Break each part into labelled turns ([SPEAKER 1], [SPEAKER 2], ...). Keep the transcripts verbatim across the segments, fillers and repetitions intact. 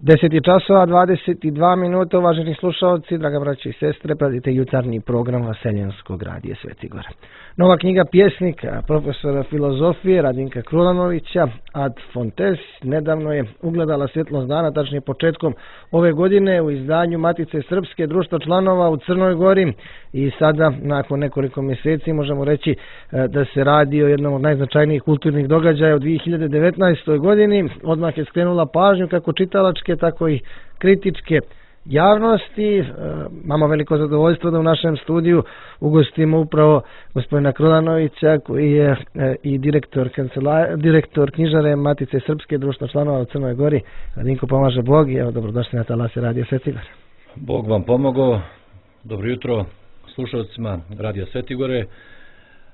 [SPEAKER 1] deset je časova, dvadeset dva minuta, uvaženi slušalci, draga braća i sestre, pratite jutarnji program Vaseljenskog radija Sveti Gora. Nova knjiga pjesnika, profesora filozofije Radinka Krulanovića, Ad Fontes, nedavno je ugledala svjetlost dana, tačnije početkom ove godine u izdanju Matice Srpske, društva članova u Crnoj Gori, i sada, nakon nekoliko mjeseci, možemo reći da se radi o jednom od najznačajnijih kulturnih događaja u dvije hiljade devetnaestoj. godini. Odmah je skrenula pažnju kako čitalačke, tako i kritičke javnosti. Imamo veliko zadovoljstvo da u našem studiju ugostimo upravo gospodina Krulanovića, koji je i direktor, direktor knjižare Matice Srpske, društva članova u Crnoj Gori. Radinko, pomaže Bog i evo, dobrodošli na talase Radija Sveti Gore.
[SPEAKER 2] Bog vam pomogao. Dobro jutro slušalcima Radija Sveti Gore.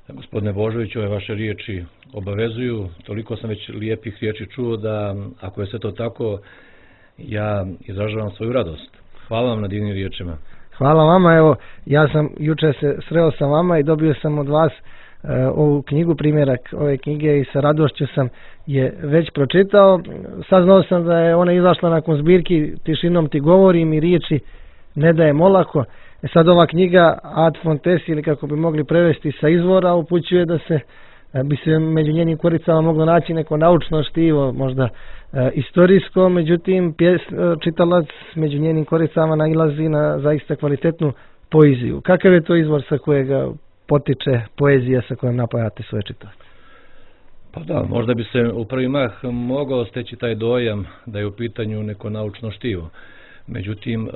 [SPEAKER 2] Gospodine Božoviću, ove vaše riječi obavezuju. Toliko sam već lijepih riječi čuo da, ako je sve to tako, ja izražavam svoju radost. Hvala vam na divnim riječima.
[SPEAKER 1] Hvala vama. Evo, ja sam juče se sreo sa vama i dobio sam od vas uh, ovu knjigu, primjerak ove knjige, i sa radošću sam je već pročitao. Saznao sam da je ona izašla nakon zbirki Tišinom ti govorim i riječi ne dajem olako. E sad ova knjiga Ad Fontes, ili kako bi mogli prevesti sa izvora, upućuje da se bi se među njenim koricama moglo naći neko naučno štivo, možda e, istorijsko, međutim pjes, čitalac među njenim koricama nailazi na zaista kvalitetnu poeziju. Kakav je to izvor sa kojega potiče poezija sa kojom napajate svoje čitalac?
[SPEAKER 2] Pa da, možda bi se u prvi mah mogao steći taj dojam da je u pitanju neko naučno štivo. Međutim,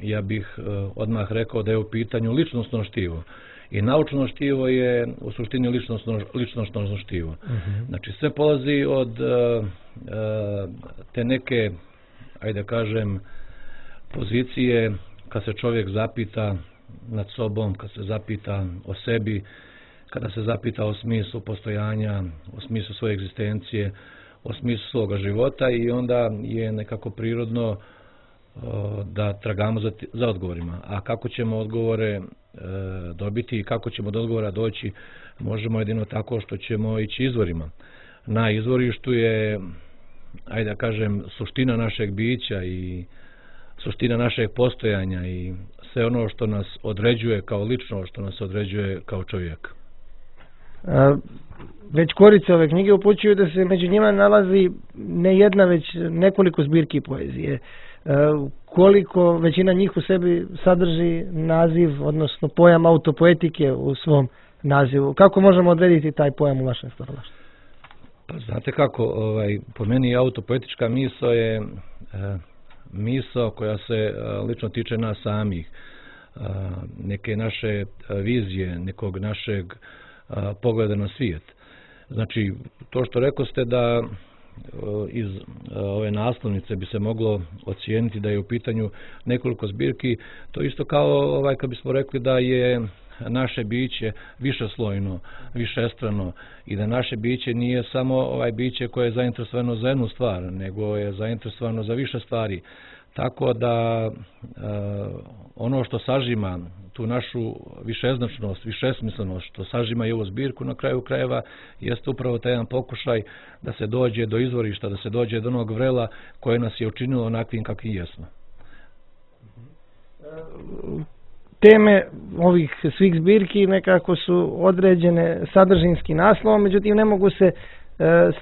[SPEAKER 2] ja bih odmah rekao da je u pitanju ličnosno štivo. I naučno štivo je u suštini ličnosno, ličnosno štivo. Uh-huh. Znači, sve polazi od te neke, ajde kažem, pozicije kad se čovjek zapita nad sobom, kad se zapita o sebi, kada se zapita o smislu postojanja, o smislu svoje egzistencije, o smislu svoga života, i onda je nekako prirodno da tragamo za, za odgovorima. A kako ćemo odgovore e, dobiti i kako ćemo do odgovora doći, možemo jedino tako što ćemo ići izvorima. Na izvorištu je, ajde da kažem, suština našeg bića i suština našeg postojanja i sve ono što nas određuje kao lično, što nas određuje kao čovjek.
[SPEAKER 1] A, već korice ove knjige upućuju da se među njima nalazi ne jedna, već nekoliko zbirki poezije. Koliko većina njih u sebi sadrži naziv, odnosno pojam autopoetike u svom nazivu. Kako možemo odrediti taj pojam u vašem stvaralaštvu?
[SPEAKER 2] Pa znate kako, ovaj, po meni autopoetička misao je e, misao koja se e, lično tiče nas samih, e, neke naše vizije, nekog našeg e, pogleda na svijet. Znači, to što rekoste da iz ove naslovnice bi se moglo ocijeniti da je u pitanju nekoliko zbirki, to isto kao ovaj kad bismo rekli da je naše biće višeslojno, višestrano, i da naše biće nije samo ovaj biće koje je zainteresovano za jednu stvar, nego je zainteresovano za više stvari. Tako da e, ono što sažima tu našu višeznačnost, višesmislenost, što sažima i ovu zbirku na kraju krajeva, jeste upravo taj jedan pokušaj da se dođe do izvorišta, da se dođe do onog vrela koje nas je učinilo onakvim kakvim jesmo.
[SPEAKER 1] Teme ovih svih zbirki nekako su određene sadržinskim naslovom, međutim ne mogu se e,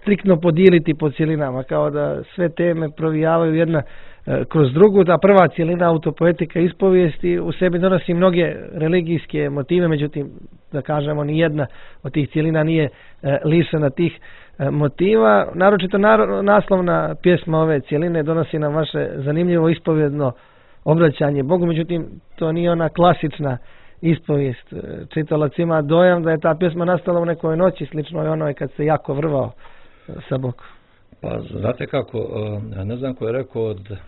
[SPEAKER 1] striktno podijeliti po cjelinama, kao da sve teme provijavaju jedna e, kroz drugu. Ta prva cjelina, autopoetika ispovijesti, u sebi donosi mnoge religijske motive, međutim, da kažemo, ni jedna od tih cjelina nije e, lišena tih e, motiva. Naročito naro, naslovna pjesma ove cjeline donosi nam vaše zanimljivo ispovjedno obraćanje Bogu, međutim to nije ona klasična ispovijest. Čitalac ima dojam da je ta pjesma nastala u nekoj noći, slično je onoj kad se jako vrvao sa Bogom.
[SPEAKER 2] Pa znate kako, ne znam ko je rekao od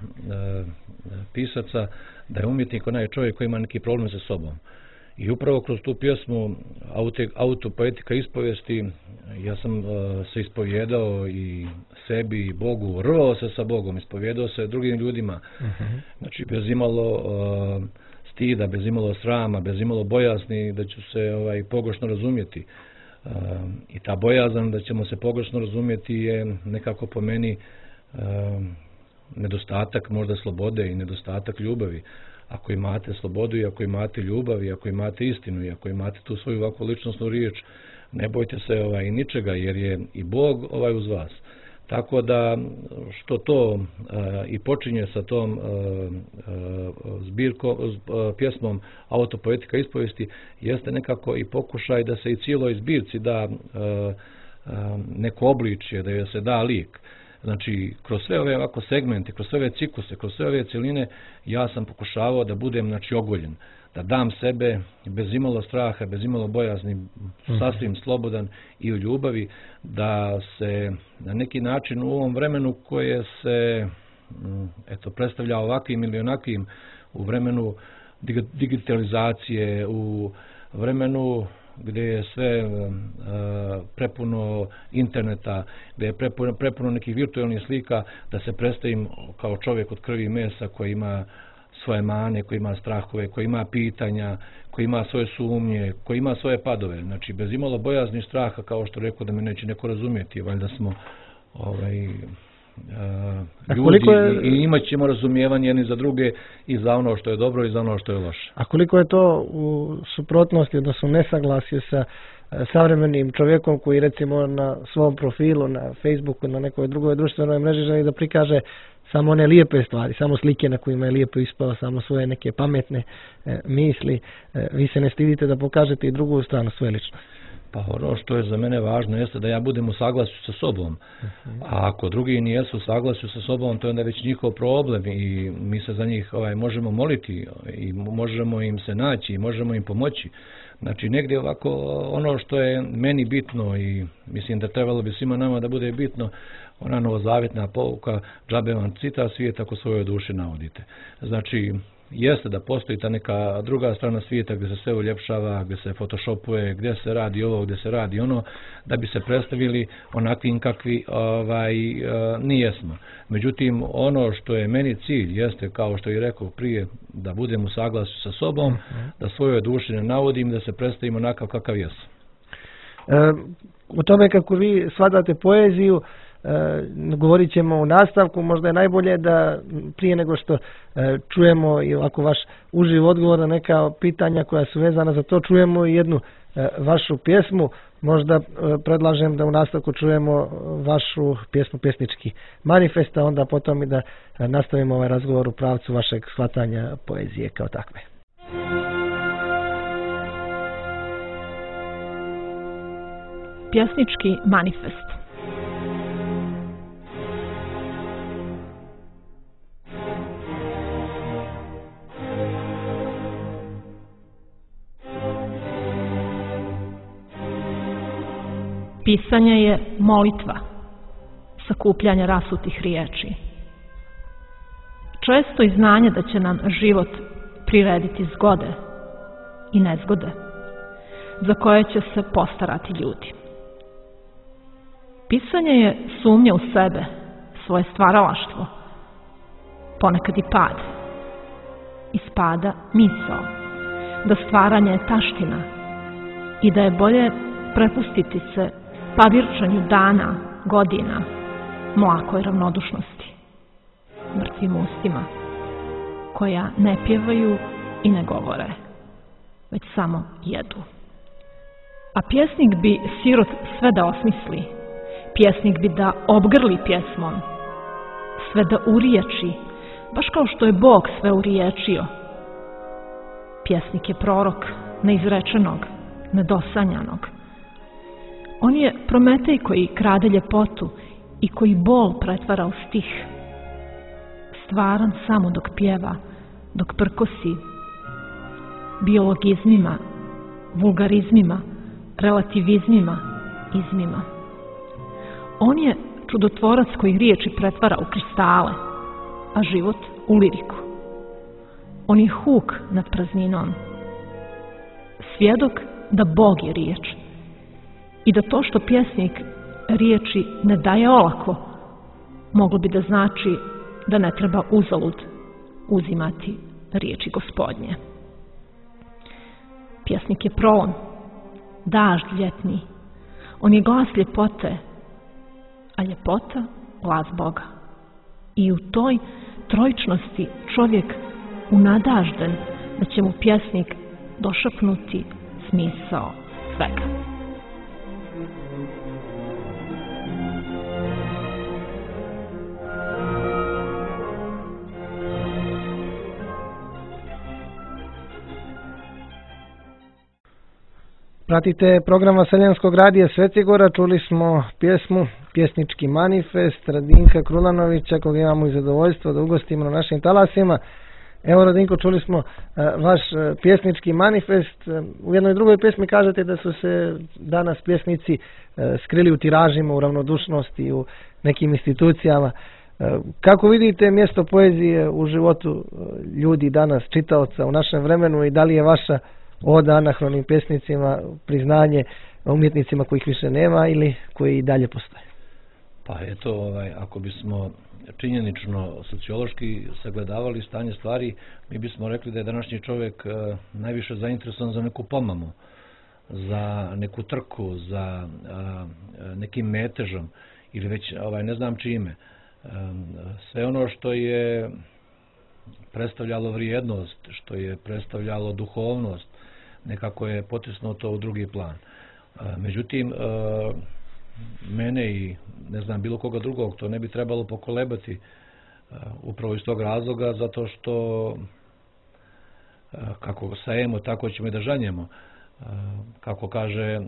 [SPEAKER 2] pisaca da je umjetnik onaj čovjek koji ima neki problem sa sobom. I upravo kroz tu pjesmu autopoetika ispovijesti ja sam uh, se ispovjedao i sebi i Bogu, rvao se sa Bogom, ispovjedao se drugim ljudima. Uh-huh. Znači bez imalo uh, stida, bez imalo srama, bez imalo bojazni da ću se ovaj, pogrešno razumjeti. Uh, I ta bojazan da ćemo se pogrešno razumjeti je nekako po meni uh, nedostatak možda slobode i nedostatak ljubavi. Ako imate slobodu i ako imate ljubav i ako imate istinu i ako imate tu svoju ovakvu ličnosnu riječ, ne bojte se ovaj, ničega jer je i Bog ovaj uz vas. Tako da što to a, i počinje sa tom a, a, zbirkom, a, pjesmom Autopoetika ispovijesti, jeste nekako i pokušaj da se i cijeloj zbirci da a, a, neko obličje, da joj se da lik. Znači, kroz sve ove ovako segmente, kroz sve ove cikluse, kroz sve ove cjeline, ja sam pokušavao da budem, znači, ogoljen, da dam sebe bez imalo straha, bez imalo bojazni, sasvim slobodan i u ljubavi, da se na neki način u ovom vremenu koje se eto, predstavlja ovakvim ili onakvim, u vremenu digitalizacije, u vremenu gdje je sve uh, prepuno interneta, gdje je prepuno, prepuno nekih virtualnih slika, da se predstavim kao čovjek od krvi i mesa koji ima svoje mane, koji ima strahove, koji ima pitanja, koji ima svoje sumnje, koji ima svoje padove. Znači, bez imalo bojazni straha, kao što rekao da me neće neko razumjeti, valjda smo ovaj, Uh, ljudi je, i imat ćemo razumijevanje jedni za druge i za ono što je dobro i za ono što je loše.
[SPEAKER 1] A koliko je to u suprotnosti, odnosno nesaglasju sa savremenim čovjekom koji recimo na svom profilu, na Facebooku, na nekoj drugoj društvenoj mreži želi da prikaže samo one lijepe stvari, samo slike na kojima je lijepo ispao, samo svoje neke pametne e, misli. E, vi se ne stidite da pokažete i drugu stranu svoje ličnosti.
[SPEAKER 2] Pa ono što je za mene važno jeste da ja budem u saglasju sa sobom. A ako drugi nijesu u saglasju sa sobom, to je onda već njihov problem i mi se za njih ovaj, možemo moliti i možemo im se naći i možemo im pomoći. Znači negdje ovako ono što je meni bitno i mislim da trebalo bi svima nama da bude bitno, ona novozavjetna pouka, džabe vam cita svijet ako svojoj duši navodite. Znači jeste da postoji ta neka druga strana svijeta gdje se sve uljepšava, gdje se photoshopuje, gdje se radi ovo, gdje se radi ono, da bi se predstavili onakvim kakvi ovaj, nijesmo. Međutim, ono što je meni cilj jeste, kao što je rekao prije, da budem u saglasju sa sobom, da svojoj duši ne navodim, da se predstavimo onakav kakav jesam.
[SPEAKER 1] E, u tome kako vi shvatate poeziju, E, govorit ćemo u nastavku, možda je najbolje da prije nego što e, čujemo i ovako vaš uživ odgovor na neka pitanja koja su vezana za to, čujemo i jednu e, vašu pjesmu. Možda e, predlažem da u nastavku čujemo vašu pjesmu Pjesnički manifest, a onda potom i da e, nastavimo ovaj razgovor u pravcu vašeg shvatanja poezije kao takve.
[SPEAKER 3] Pjesnički manifest. Pisanje je molitva, sakupljanje rasutih riječi. Često i znanje da će nam život prirediti zgode i nezgode, za koje će se postarati ljudi. Pisanje je sumnja u sebe, svoje stvaralaštvo, ponekad i pad. Iz pada misao, da stvaranje je taština i da je bolje prepustiti se pavirčanju dana, godina, mlakoj ravnodušnosti, mrtvim ustima, koja ne pjevaju i ne govore, već samo jedu. A pjesnik bi sirot sve da osmisli, pjesnik bi da obgrli pjesmom, sve da uriječi, baš kao što je Bog sve uriječio. Pjesnik je prorok neizrečenog, nedosanjanog. On je Prometej koji krade ljepotu i koji bol pretvara u stih. Stvaran samo dok pjeva, dok prkosi biologizmima, vulgarizmima, relativizmima, izmima. On je čudotvorac koji riječi pretvara u kristale, a život u liriku. On je huk nad prazninom, svjedok da Bog je riječ i da to što pjesnik riječi ne daje olako, moglo bi da znači da ne treba uzalud uzimati riječi Gospodnje. Pjesnik je prolom, dažd ljetni, on je glas ljepote, a ljepota glas Boga. I u toj trojičnosti čovjek unadažden da će mu pjesnik došapnuti smisao svega.
[SPEAKER 1] Pratite program Vaseljenskog radija Svetigora, čuli smo pjesmu, pjesnički manifest Radinka Krulanovića, koga imamo i zadovoljstvo da ugostimo na našim talasima. Evo, Radinko, čuli smo uh, vaš uh, pjesnički manifest. Uh, u jednoj drugoj pjesmi kažete da su se danas pjesnici uh, skrili u tiražima, u ravnodušnosti, u nekim institucijama. Uh, kako vidite mjesto poezije u životu uh, ljudi danas, čitaoca u našem vremenu, i da li je vaša oda anahronim pjesnicima priznanje umjetnicima kojih više nema ili koji i dalje postoje?
[SPEAKER 2] Pa eto, ovaj, ako bismo činjenično sociološki sagledavali stanje stvari, mi bismo rekli da je današnji čovjek e, najviše zainteresovan za neku pomamu, za neku trku, za e, nekim metežom ili već ovaj, ne znam čime. E, sve ono što je predstavljalo vrijednost, što je predstavljalo duhovnost, nekako je potisnuto u drugi plan. E, međutim, e, mene i ne znam bilo koga drugog to ne bi trebalo pokolebati uh, upravo iz tog razloga, zato što uh, kako sajemo tako ćemo i da žanjemo, uh, kako kaže uh,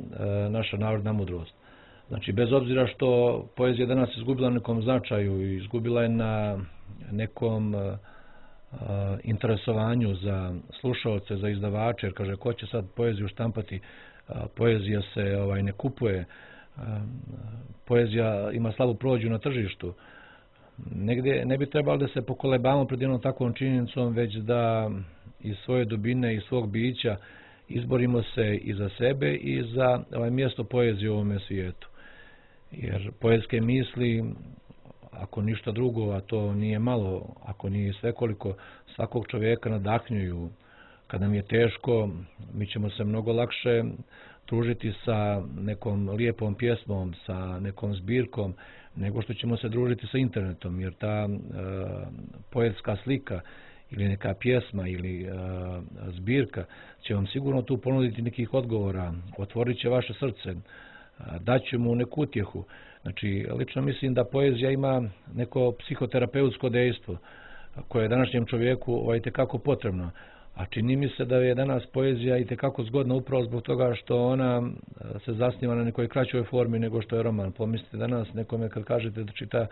[SPEAKER 2] naša narodna mudrost. Znači, bez obzira što poezija danas izgubila na nekom značaju i izgubila je na nekom uh, uh, interesovanju za slušaoce, za izdavače, jer kaže ko će sad poeziju štampati, uh, poezija se ovaj, ne kupuje, poezija ima slabu prođu na tržištu. Negdje ne bi trebalo da se pokolebamo pred jednom takvom činjenicom, već da iz svoje dubine i svog bića izborimo se i za sebe i za ovaj mjesto poezije u ovome svijetu. Jer poetske misli, ako ništa drugo, a to nije malo, ako nije svekoliko, svakog čovjeka nadahnjuju. Kada nam je teško, mi ćemo se mnogo lakše družiti sa nekom lijepom pjesmom, sa nekom zbirkom, nego što ćemo se družiti sa internetom, jer ta e, poetska slika ili neka pjesma ili e, zbirka će vam sigurno tu ponuditi nekih odgovora, otvorit će vaše srce, daće mu neku utjehu. Znači, lično mislim da poezija ima neko psihoterapeutsko dejstvo koje je današnjem čovjeku ovaj, itekako potrebno. A čini mi se da je danas poezija itekako zgodna upravo zbog toga što ona se zasniva na nekoj kraćoj formi nego što je roman. Pomislite danas nekome kad kažete da čita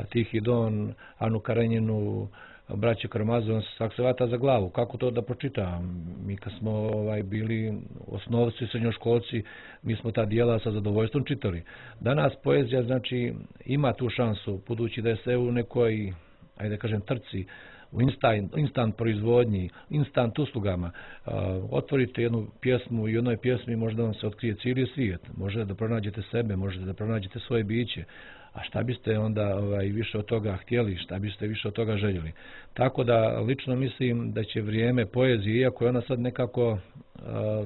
[SPEAKER 2] Tihi Don, Anu Karenjinu, Braće Karamazov, svak se vata za glavu. Kako to da pročita? Mi kad smo ovaj, bili osnovci, srednjoškolci, mi smo ta dijela sa zadovoljstvom čitali. Danas poezija znači ima tu šansu, budući da je sve u nekoj, ajde kažem, trci, u instant, instant proizvodnji, instant uslugama. Uh, otvorite jednu pjesmu i u jednoj pjesmi možda vam se otkrije cijeli svijet. Možete da pronađete sebe, možete da pronađete svoje biće. A šta biste onda ovaj, više od toga htjeli, šta biste više od toga željeli. Tako da lično mislim da će vrijeme poezije, iako je ona sad nekako uh,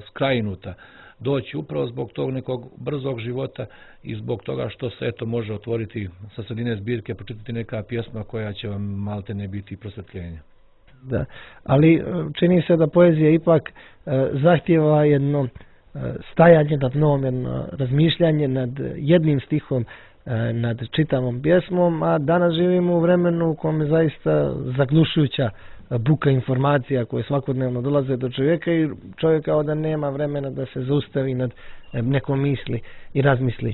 [SPEAKER 2] skrajinuta, doći upravo zbog tog nekog brzog života i zbog toga što se eto može otvoriti sa sredine zbirke, pročitati neka pjesma koja će vam malte ne biti prosvjetljenja.
[SPEAKER 1] Da, ali čini se da poezija ipak e, zahtjeva jedno e, stajanje nad novom, jedno razmišljanje nad jednim stihom, e, nad čitavom pjesmom, a danas živimo u vremenu u kojem je zaista zaglušujuća buka informacija koje svakodnevno dolaze do čovjeka i čovjek kao da nema vremena da se zaustavi nad nekom misli i razmisli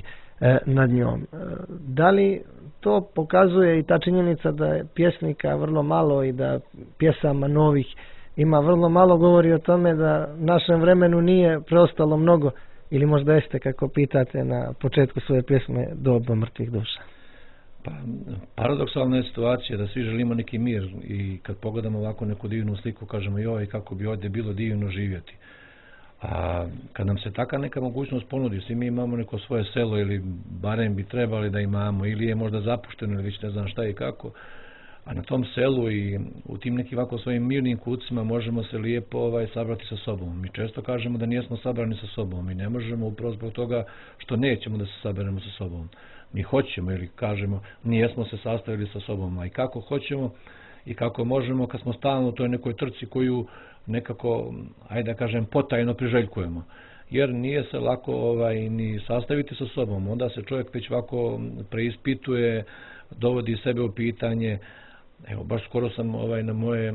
[SPEAKER 1] nad njom. Da li to pokazuje i ta činjenica da je pjesnika vrlo malo i da pjesama novih ima vrlo malo, govori o tome da našem vremenu nije preostalo mnogo, ili možda jeste, kako pitate na početku svoje pjesme, doba mrtvih duša?
[SPEAKER 2] Pa, paradoksalna je situacija da svi želimo neki mir i kad pogledamo ovako neku divnu sliku kažemo joj kako bi ovdje bilo divno živjeti. A kad nam se taka neka mogućnost ponudi, svi mi imamo neko svoje selo ili barem bi trebali da imamo ili je možda zapušteno ili već ne znam šta i kako, a na tom selu i u tim nekim ovako svojim mirnim kucima možemo se lijepo ovaj, sabrati sa sobom. Mi često kažemo da nijesmo sabrani sa sobom i ne možemo upravo zbog toga što nećemo da se saberemo sa sobom. mi hoćemo ili kažemo nijesmo se sastavili sa sobom, a i kako hoćemo i kako možemo kad smo stalno u toj nekoj trci koju nekako, ajde da kažem, potajno priželjkujemo. Jer nije se lako ovaj, ni sastaviti sa sobom, onda se čovjek već ovako preispituje, dovodi sebe u pitanje. Evo, baš skoro sam ovaj, na, moje,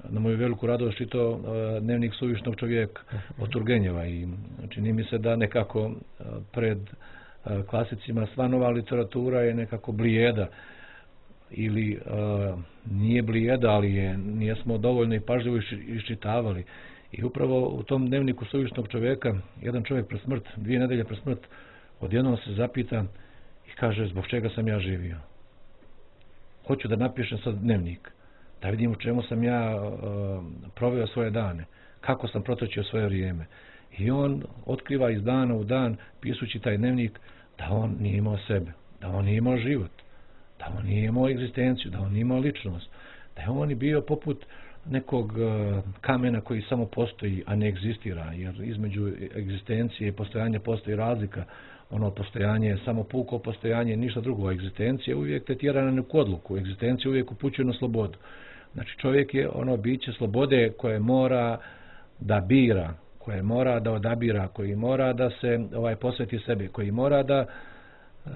[SPEAKER 2] na moju veliku radost čitao uh, dnevnik suvišnog čovjeka od Turgenjeva i čini mi se da nekako uh, pred uh, klasicima sva nova literatura je nekako blijeda ili uh, nije blijeda, ali je, nijesmo dovoljno i pažljivo iščitavali. I upravo u tom dnevniku suvišnog čovjeka, jedan čovjek pred smrt, dvije nedelje pred smrt, odjednom se zapita i kaže zbog čega sam ja živio. Hoću da napišem sad dnevnik, da vidim u čemu sam ja uh, proveo svoje dane, kako sam protočio svoje vrijeme. I on otkriva iz dana u dan, pisući taj dnevnik, da on nije imao sebe, da on nije imao život, da on nije imao egzistenciju, da on nije imao ličnost, da je on bio poput nekog uh, kamena koji samo postoji, a ne egzistira, jer između egzistencije i postojanja postoji razlika. Ono postojanje je samo puko postojanje, ništa drugo. Egzistencija uvijek te tjera na neku odluku, egzistencija uvijek upućuje na slobodu. Znači čovjek je ono biće slobode koje mora da bira, koje mora da odabira, koji mora da se ovaj posveti sebi, koji mora da uh,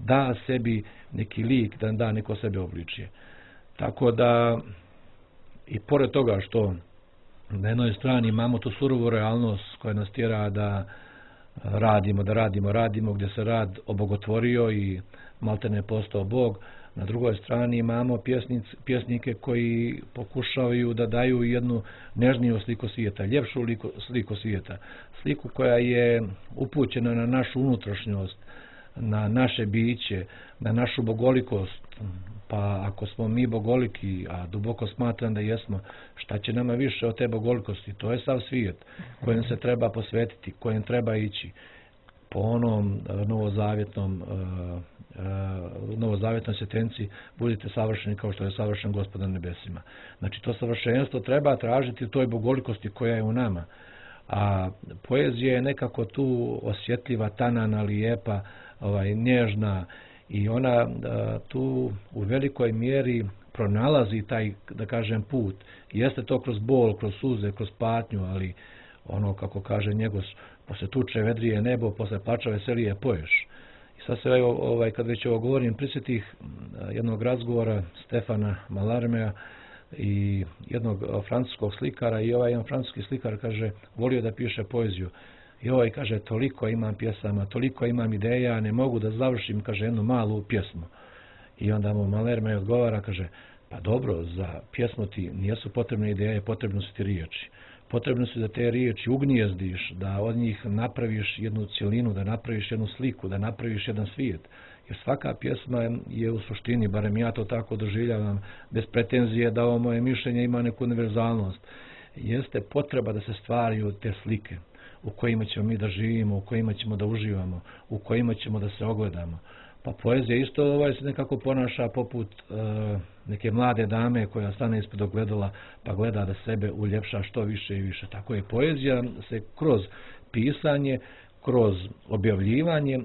[SPEAKER 2] da sebi neki lik, da da neko sebe obličije. Tako da i pored toga što na jednoj strani imamo tu surovu realnost koja nas tjera da radimo, da radimo, radimo, gdje se rad obogotvorio i maltene postao Bog. Na drugoj strani imamo pjesnic, pjesnike koji pokušavaju da daju jednu nežniju sliku svijeta, ljepšu liko, sliku svijeta. Sliku koja je upućena na našu unutrašnjost, na naše biće, na našu bogolikost. Pa ako smo mi bogoliki, a duboko smatram da jesmo, šta će nama više od te bogolikosti? To je sav svijet kojem se treba posvetiti, kojem treba ići po onom novozavjetnom novozavjetnoj sentenciji budite savršeni kao što je savršen Gospod na nebesima. Znači to savršenstvo treba tražiti u toj bogolikosti koja je u nama. A poezija je nekako tu osjetljiva, tanana, lijepa, ovaj, nježna i ona a, tu u velikoj mjeri pronalazi taj, da kažem, put. Jeste to kroz bol, kroz suze, kroz patnju, ali ono kako kaže Njegos, posle tuče vedrije nebo, posle plača veselije poješ. I sad se ovaj, kad već ovo govorim, prisjetih jednog razgovora Stefana Mallarméa i jednog francuskog slikara i ovaj jedan francuski slikar kaže, volio da piše poeziju. I ovaj kaže, toliko imam pjesama, toliko imam ideja, ne mogu da završim, kaže, jednu malu pjesmu. I onda mu Mallarmé odgovara, kaže, pa dobro, za pjesmu ti nijesu potrebne ideje, potrebno su ti riječi. Potrebno su da te riječi ugnijezdiš, da od njih napraviš jednu cjelinu, da napraviš jednu sliku, da napraviš jedan svijet. Jer svaka pjesma je u suštini, barem ja to tako doživljavam, bez pretenzije da ovo moje mišljenje ima neku univerzalnost. Jeste potreba da se stvaraju te slike u kojima ćemo mi da živimo, u kojima ćemo da uživamo, u kojima ćemo da se ogledamo. Pa poezija isto ovaj se nekako ponaša poput e, neke mlade dame koja stane ispred ogledala pa gleda da sebe uljepša što više i više. Tako je poezija se kroz pisanje, kroz objavljivanje e,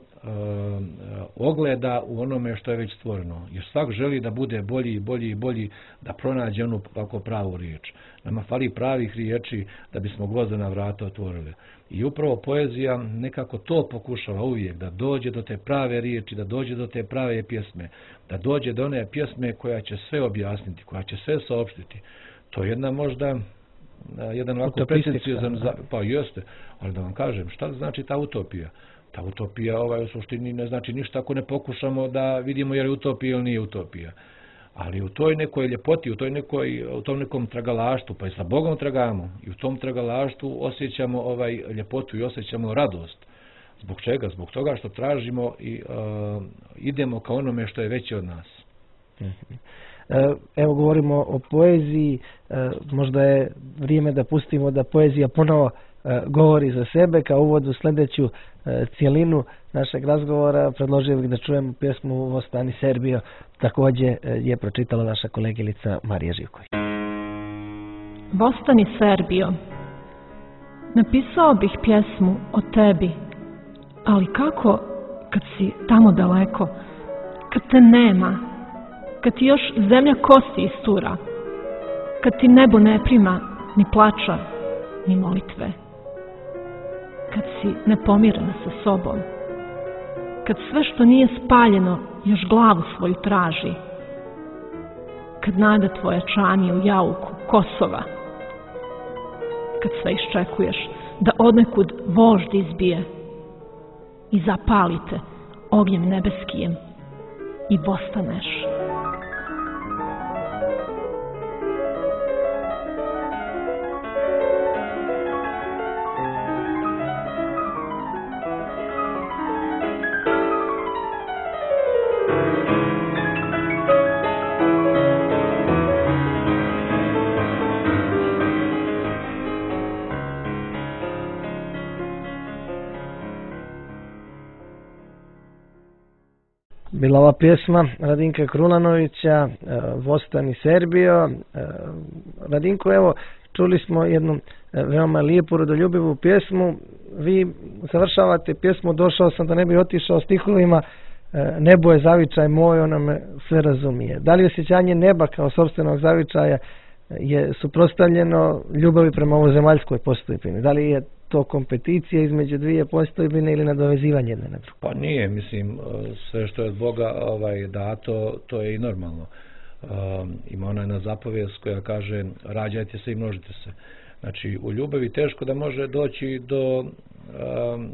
[SPEAKER 2] ogleda u onome što je već stvoreno. Jer svak želi da bude bolji i bolji i bolji, da pronađe onu kako pravu riječ. Nama fali pravih riječi da bismo gvozdena vrata otvorili. I upravo poezija nekako to pokušava uvijek, da dođe do te prave riječi, da dođe do te prave pjesme, da dođe do one pjesme koja će sve objasniti, koja će sve saopštiti. To je jedna možda, jedan ovako pretenciozan, pa jeste, ali da vam kažem, šta znači ta utopija? Ta utopija ovaj, u suštini ne znači ništa ako ne pokušamo da vidimo je li utopija ili nije utopija. Ali u toj nekoj ljepoti, u, toj nekoj, u tom nekom tragalaštu, pa i sa Bogom tragamo, i u tom tragalaštu osjećamo ovaj ljepotu i osjećamo radost. Zbog čega? Zbog toga što tražimo i uh, idemo ka onome što je veće od nas.
[SPEAKER 1] Evo govorimo o poeziji, možda je vrijeme da pustimo da poezija ponovo govori za sebe. Kao uvod u sljedeću cijelinu našeg razgovora predložio bih da čujemo pjesmu Vostani Serbio, također je pročitala naša kolegilica Marija Živković.
[SPEAKER 3] Vostani Serbio, napisao bih pjesmu o tebi, ali kako kad si tamo daleko, kad te nema, kad ti još zemlja kosti istura, kad ti nebo ne prima ni plača, ni molitve, kad si nepomirena sa sobom, kad sve što nije spaljeno još glavu svoju traži, kad nada tvoja čani u jauku Kosova, kad sve iščekuješ da odnekud vožd izbije i zapalite ognjem nebeskijem i vostaneš.
[SPEAKER 1] Bila ova pjesma Radinka Krunanovića, Vostani Serbio. Radinko, evo, čuli smo jednu veoma lijepu, rodoljubivu pjesmu. Vi završavate pjesmu Došao sam da ne bi otišao stihovima Nebo je zavičaj moj, ona me sve razumije. Da li osjećanje neba kao sopstvenog zavičaja je suprotstavljeno ljubavi prema ovozemaljskoj postojbini? Da li je to kompeticija između dvije postojbine ili nadovezivanje jedne na drugu?
[SPEAKER 2] Pa nije, mislim, sve što je od Boga ovaj, dato, to je i normalno. Um, ima ona jedna zapovijest koja kaže rađajte se i množite se. Znači, u ljubavi teško da može doći do, um,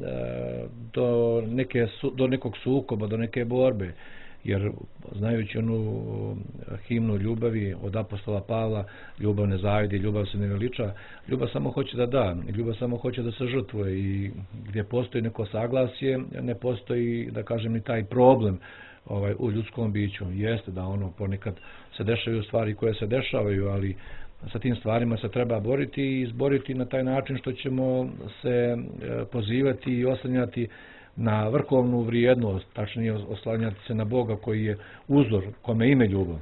[SPEAKER 2] do, neke, do nekog sukoba, do neke borbe. Jer znajući onu himnu ljubavi od apostola Pavla, ljubav ne zavidi, ljubav se ne veliča, ljubav samo hoće da da, ljubav samo hoće da se žrtvuje i gdje postoji neko saglasje, ne postoji, da kažem, ni taj problem ovaj, u ljudskom biću. Jeste da ono ponekad se dešavaju stvari koje se dešavaju, ali sa tim stvarima se treba boriti i izboriti na taj način što ćemo se pozivati i oslanjati na vrhovnu vrijednost, tačnije oslanjati se na Boga koji je uzor, kome ime ljubav.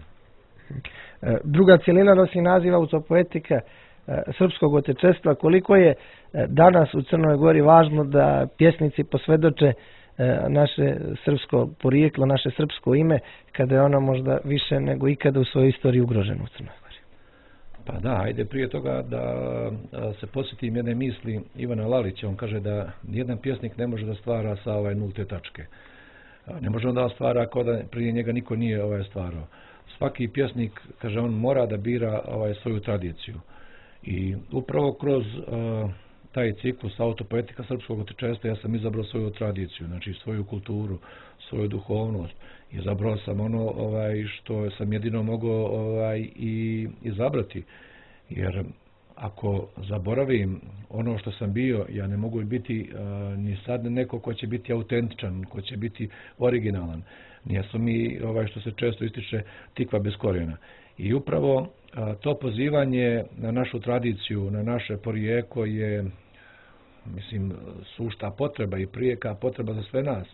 [SPEAKER 1] Druga cjelina nosi naziv autopoetika srpskog otečestva. Koliko je danas u Crnoj Gori važno da pjesnici posvjedoče naše srpsko porijeklo, naše srpsko ime, kada je ono možda više nego ikada u svojoj istoriji ugroženo u Crnoj Gori?
[SPEAKER 2] Pa da, ajde prije toga da se posjetim jedne misli Ivana Lalića. On kaže da nijedan pjesnik ne može da stvara sa ovaj nulte tačke. Ne može on da stvara ako da prije njega niko nije ovaj stvarao. Svaki pjesnik, kaže on, mora da bira ovaj svoju tradiciju. I upravo kroz uh, taj ciklus autopoetika srpskog otečestva ja sam izabrao svoju tradiciju, znači svoju kulturu, svoju duhovnost. Izabrao sam ono ovaj, što sam jedino mogao ovaj, i izabrati. Jer ako zaboravim ono što sam bio, ja ne mogu biti uh, ni sad neko ko će biti autentičan, ko će biti originalan. Nijesu mi, ovaj, što se često ističe, tikva bez korijena. I upravo uh, to pozivanje na našu tradiciju, na naše porijeklo je, mislim, sušta potreba i prijeka potreba za sve nas.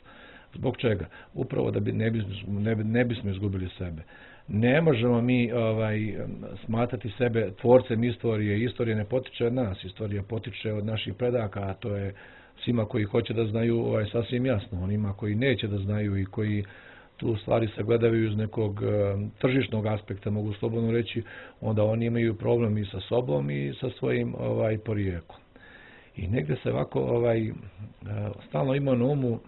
[SPEAKER 2] Zbog čega? Upravo da bi ne, bismo, ne, ne bismo izgubili sebe. Ne možemo mi ovaj, smatrati sebe tvorcem istorije. Istorija ne potiče od nas, istorija potiče od naših predaka, a to je svima koji hoće da znaju ovaj, sasvim jasno. Onima koji neće da znaju i koji tu stvari se gledaju iz nekog um, tržišnog aspekta, mogu slobodno reći, onda oni imaju problem i sa sobom i sa svojim ovaj, porijeklom. I negdje se ovako ovaj, stalno ima na umu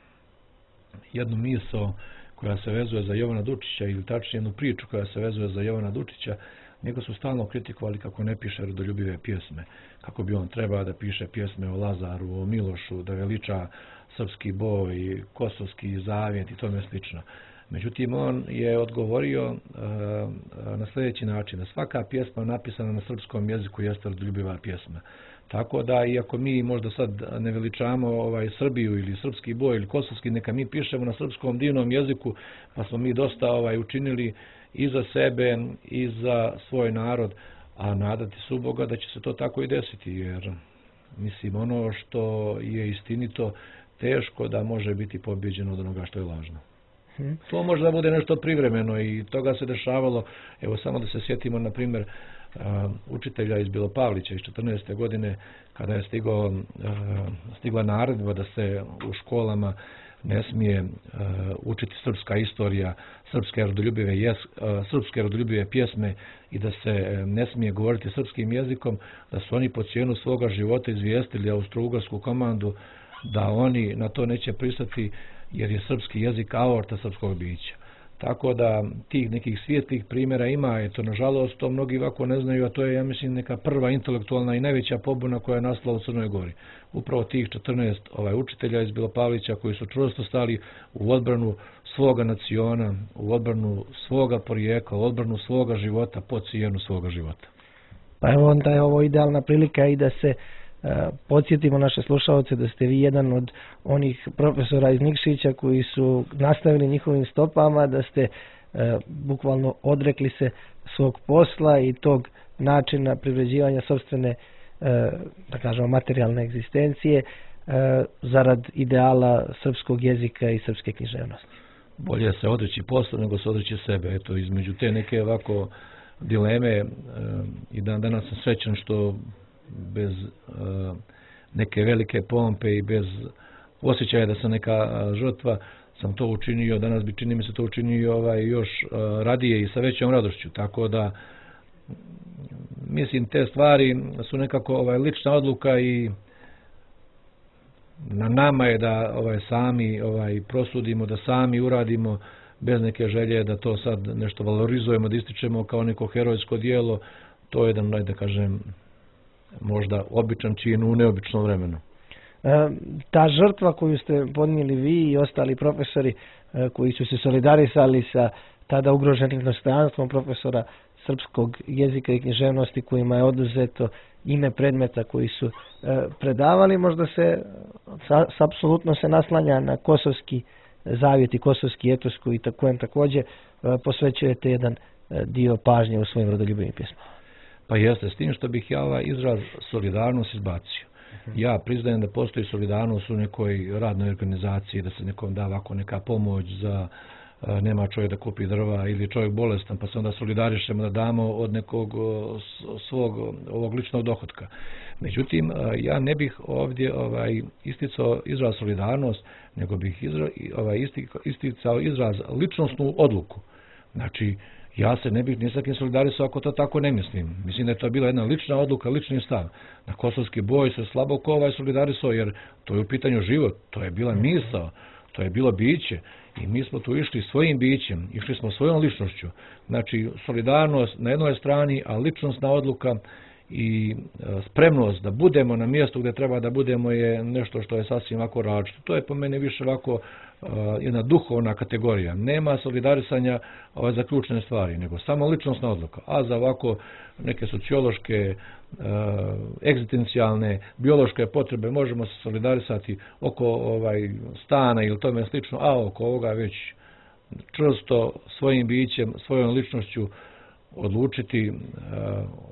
[SPEAKER 2] jednu misao koja se vezuje za Jovana Dučića, ili tačnije jednu priču koja se vezuje za Jovana Dučića. Njega su stalno kritikovali kako ne piše rodoljubive pjesme, kako bi on trebao da piše pjesme o Lazaru, o Milošu, da veliča srpski boj, kosovski zavjet i tome slično. Međutim, on je odgovorio uh, na sljedeći način, da svaka pjesma napisana na srpskom jeziku jeste rodoljubiva pjesma. Tako da, iako mi možda sad ne veličamo ovaj, Srbiju ili srpski boj ili kosovski, neka mi pišemo na srpskom divnom jeziku, pa smo mi dosta ovaj, učinili i za sebe i za svoj narod, a nadati su Boga da će se to tako i desiti, jer mislim, ono što je istinito teško da može biti pobjeđeno od onoga što je lažno. Hmm. To može da bude nešto privremeno i toga se dešavalo. Evo samo da se sjetimo, na primjer, Uh, učitelja iz Bilopavlića iz četrnaeste godine, kada je stigao, uh, stigla naredba da se u školama ne smije uh, učiti srpska istorija, srpske rodoljubive, jes, uh, srpske rodoljubive pjesme i da se ne smije govoriti srpskim jezikom, da su oni po cijenu svoga života izvijestili austro-ugarsku komandu da oni na to neće pristati jer je srpski jezik aorta srpskog bića. Tako da tih nekih svijetlih primjera ima, eto nažalost to mnogi ovako ne znaju, a to je ja mislim neka prva intelektualna i najveća pobuna koja je nastala u Crnoj Gori. Upravo tih četrnaest ovaj, učitelja iz Belopavlića koji su čvrsto stali u odbranu svoga naciona, u odbranu svoga porijekla, u odbranu svoga života, po cijenu svoga života.
[SPEAKER 1] Pa evo onda je ovo idealna prilika i da se Uh, podsjetimo naše slušalce da ste vi jedan od onih profesora iz Nikšića koji su nastavili njihovim stopama, da ste uh, bukvalno odrekli se svog posla i tog načina privređivanja sopstvene, uh, da kažemo, materijalne egzistencije uh, zarad ideala srpskog jezika i srpske književnosti.
[SPEAKER 2] Bolje se odreći posla nego se odreći sebe. Eto, između te neke ovako dileme uh, i dan danas sam srećan što bez uh, neke velike pompe i bez osjećaja da sam neka uh, žrtva sam to učinio, danas bi čini mi se to učinio ovaj, još uh, radije i sa većom radošću, tako da mislim te stvari su nekako ovaj, lična odluka i na nama je da ovaj, sami ovaj, prosudimo, da sami uradimo bez neke želje da to sad nešto valorizujemo, da ističemo kao neko herojsko dijelo, to je jedan, da kažem, možda običan čin u neobičnom vremenu.
[SPEAKER 1] E, ta žrtva koju ste podnijeli vi i ostali profesori e, koji su se solidarisali sa tada ugroženim dostojanstvom profesora srpskog jezika i književnosti kojima je oduzeto ime predmeta koji su e, predavali, možda se sa, apsolutno se naslanja na kosovski zavjet i kosovski etos koji kojem također e, posvećujete jedan e, dio pažnje u svojim rodoljubivim pjesmama.
[SPEAKER 2] Pa jeste, s tim što bih ja ovaj izraz solidarnost izbacio. Ja priznajem da postoji solidarnost u nekoj radnoj organizaciji, da se nekom da ovako neka pomoć za nema čovjek da kupi drva ili čovjek bolestan, pa se onda solidarišemo da damo od nekog svog ovog ličnog dohotka. Međutim, ja ne bih ovdje ovaj, isticao izraz solidarnost, nego bih izra, ovaj, isticao izraz ličnostnu odluku. Znači, ja se ne bih ni sa kim solidarisao ako to tako ne mislim. Mislim da je to bila jedna lična odluka, lični stav. Na kosovski boj se slabo ko ovaj solidarisao jer to je u pitanju život, to je bila misao, to je bilo biće i mi smo tu išli svojim bićem, išli smo svojom ličnošću. Znači solidarnost na jednoj strani, a ličnostna odluka i spremnost da budemo na mjestu gdje treba da budemo je nešto što je sasvim ovako različito. To je po meni više ovako uh, jedna duhovna kategorija. Nema solidarisanja uh, za ključne stvari, nego samo ličnostna odluka. A za ovako neke sociološke, uh, egzistencijalne, biološke potrebe možemo se solidarisati oko ovaj, stana ili tome slično, a oko ovoga već čvrsto svojim bićem, svojom ličnošću odlučiti uh,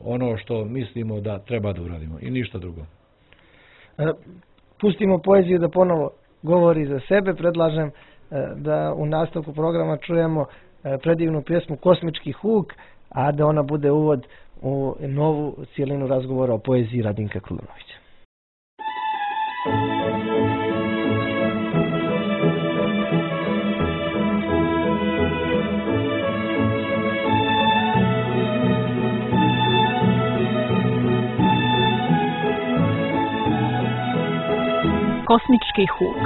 [SPEAKER 2] ono što mislimo da treba da uradimo i ništa drugo.
[SPEAKER 1] Pustimo poeziju da ponovo govori za sebe. Predlažem uh, da u nastavku programa čujemo uh, predivnu pjesmu Kosmički huk, a da ona bude uvod u novu cijelinu razgovora o poeziji Radinka Krunanovića.
[SPEAKER 3] Kosmički huk.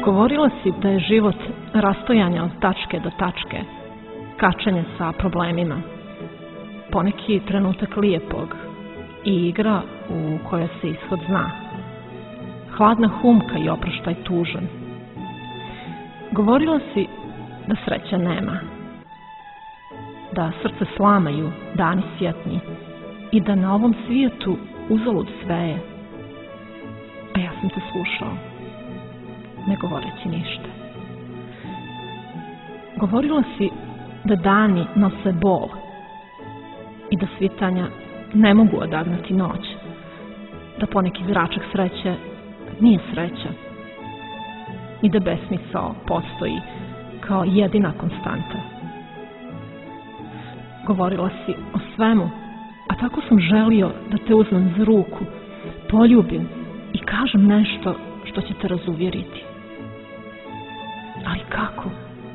[SPEAKER 3] Govorila si da je život rastojanje od tačke do tačke, kačanje sa problemima, poneki trenutak lijepog i igra u kojoj se ishod zna, hladna humka i oproštaj tužan. Govorila si da sreće nema, da srce slamaju dani svjetni i da na ovom svijetu uzalud sve je. A ja sam te slušao, ne govoreći ništa. Govorila si da dani nose bol i da svitanja ne mogu odagnati noć, da poneki zračak sreće nije sreća i da besmisao postoji kao jedina konstanta. Govorila si o svemu, a tako sam želio da te uzmem za ruku, poljubim i kažem nešto što će te razuvjeriti. Ali kako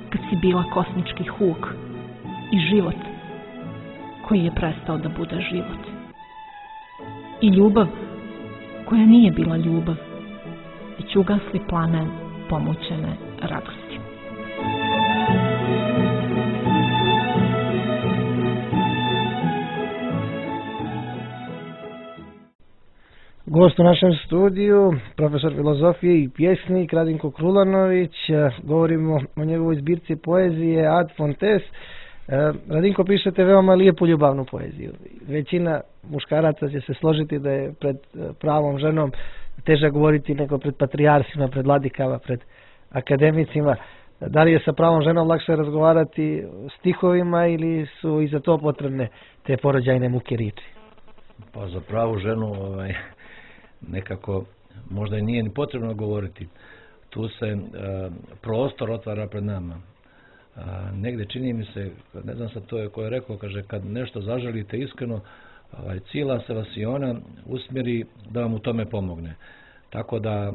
[SPEAKER 3] kad si bila kosmički huk i život koji je prestao da bude život? I ljubav koja nije bila ljubav, već ugasli plamen pomućene radosti.
[SPEAKER 1] Gost u našem studiju, profesor filozofije i pjesnik Radinko Krulanović. Govorimo o njegovoj zbirci poezije Ad Fontes. Radinko, pišete veoma lijepu ljubavnu poeziju. Većina muškaraca će se složiti da je pred pravom ženom teže govoriti nego pred patrijarsima, pred vladikama, pred akademicima. Da li je sa pravom ženom lakše razgovarati stihovima ili su i za to potrebne te porođajne muke riječi?
[SPEAKER 2] Pa za pravu ženu ovaj, nekako možda i nije ni potrebno govoriti. Tu se e, prostor otvara pred nama. A, negdje čini mi se, ne znam sad to je ko je rekao, kaže kad nešto zaželite iskreno, ovaj, cijela se vas i ona usmjeri da vam u tome pomogne. Tako da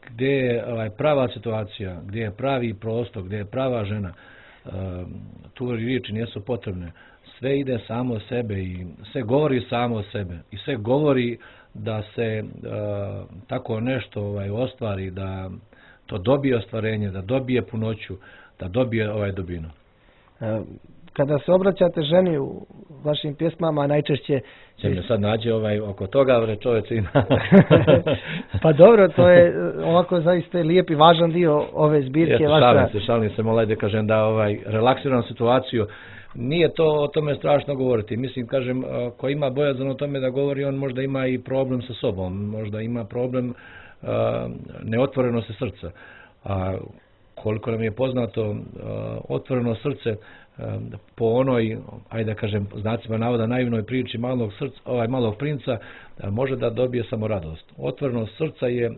[SPEAKER 2] gdje je ovaj, prava situacija, gdje je pravi prostor, gdje je prava žena, e, tu riječi nisu potrebne. Sve ide samo od sebe i sve govori samo od sebe i sve govori da se e, tako nešto ovaj, ostvari, da to dobije ostvarenje, da dobije punoću, da dobije ovaj dubinu.
[SPEAKER 1] Kada se obraćate ženi u vašim pjesmama, najčešće...
[SPEAKER 2] Će me sad nađe ovaj, oko toga, bre čovječ ima.
[SPEAKER 1] Pa dobro, to je ovako zaista lijep i važan dio ove zbirke.
[SPEAKER 2] Jeste,
[SPEAKER 1] vaša...
[SPEAKER 2] šalim se, šalim se, molaj da kažem da ovaj, relaksiram situaciju. Nije to o tome strašno govoriti. Mislim, kažem, ko ima bojazan o tome da govori, on možda ima i problem sa sobom, možda ima problem uh, neotvorenosti srca. A koliko nam je poznato, uh, otvoreno srce uh, po onoj, ajde da kažem, znacima navoda naivnoj priči malog, srca, ovaj, malog princa, uh, može da dobije samo radost. Otvorenost srca je uh,